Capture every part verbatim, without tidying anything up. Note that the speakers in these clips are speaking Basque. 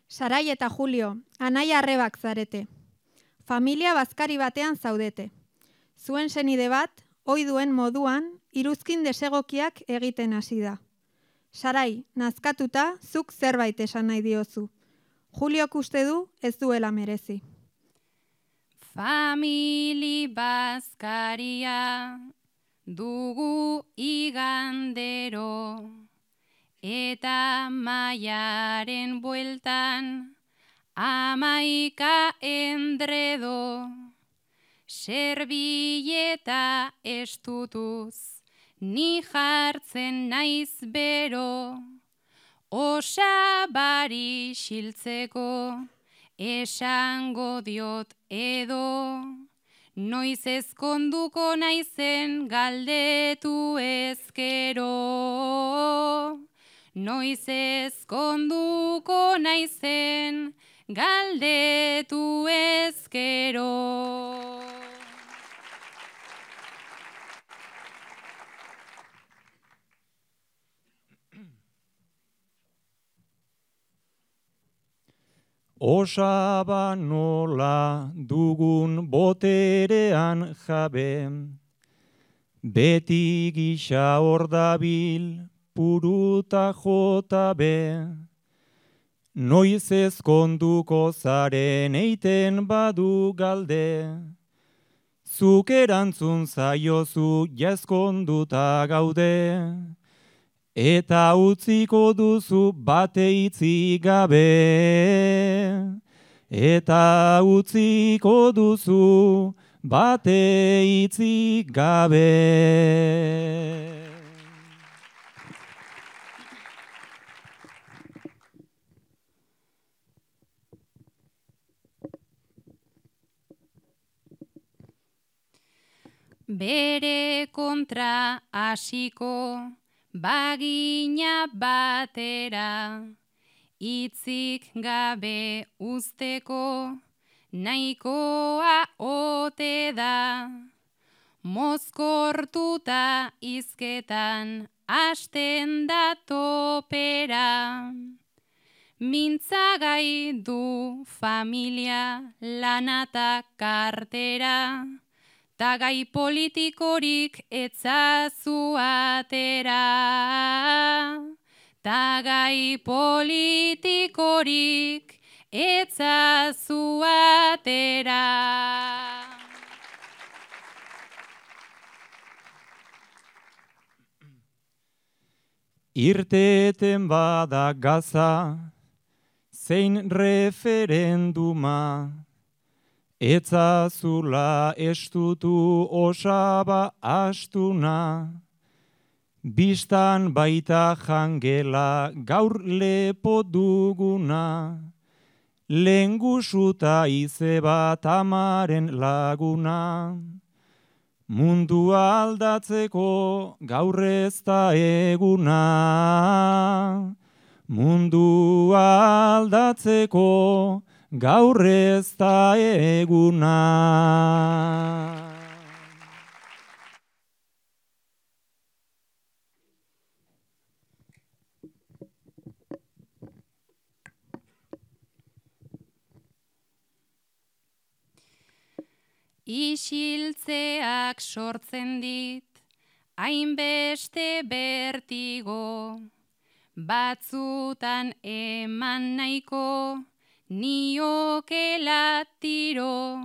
Sarai eta Julio, anaia arrebak zarete. Familia bazkari batean zaudete. Zuen senide bat, ohi duen moduan, iruzkin desegokiak egiten hasi da. Sarai, nazkatuta, zuk zerbait esan nahi diozu. Juliok uste du ez duela merezi. Famili bazkaria dugu igandero, eta maiaren bueltan amaika endredo, serbileta estutuz ni jartzen naiz bero, osabari xiltzeko esango diot edo, noiz ezkonduko naizen galdetu ezkero. Noiz ezkonduko naizen galdetu ezkero. Osaba nola dugun boterean jabe, beti gisa hor dabil puruta jota be. Noiz ezkonduko zaren eiten badu galde, zuk erantzun zaiozu jazkonduta gaude, eta utziko duzu bate itzi gabe, eta utziko duzu bate itzi gabe. Bere kontra hasiko bagina batera, hitzik gabe uzteko nahikoa ote da, mozkortuta hizketan hasten da topera, mintzagai du familia lanata kartera, ta gai politikorik etzazu atera, ta gai politikorik etzazu atera. Irteten bada Gaza, zein referenduma, etzazula estutu osaba astuna, bistan baita jangela gaur lepo duguna, lengusuta izeba tamaren laguna, mundua aldatzeko gaur ez da eguna, mundua aldatzeko gaur ez da eguna. Isiltzeak sortzen dit, hainbeste bertigo, batzutan eman nahiko, niokela tiro,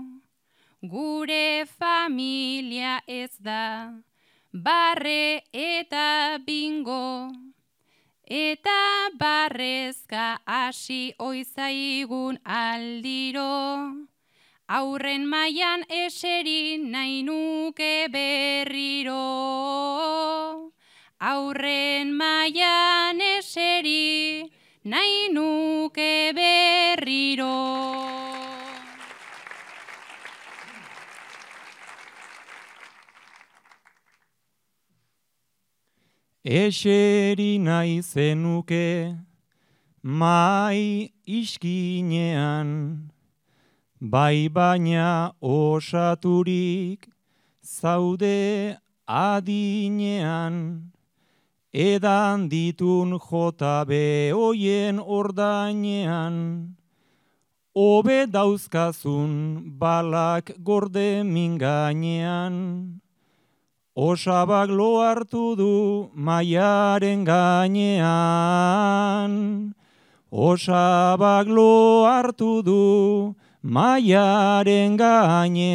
gure familia ez da, barre eta bingo, eta barrezka hasi oizaigun aldiro, aurren mailan eseri nahi nuke berriro, aurren mailan eseri nahi nuke berriro. Eseri nahi zenuke mai iskinean, bai baina osaturik zaude adinean, edan ditun jota behoien ordainean, hobe dauzkazun balak gorde mingainean, osabak lo hartu du maiaren gainean, osabak lo hartu du maiaren gainean.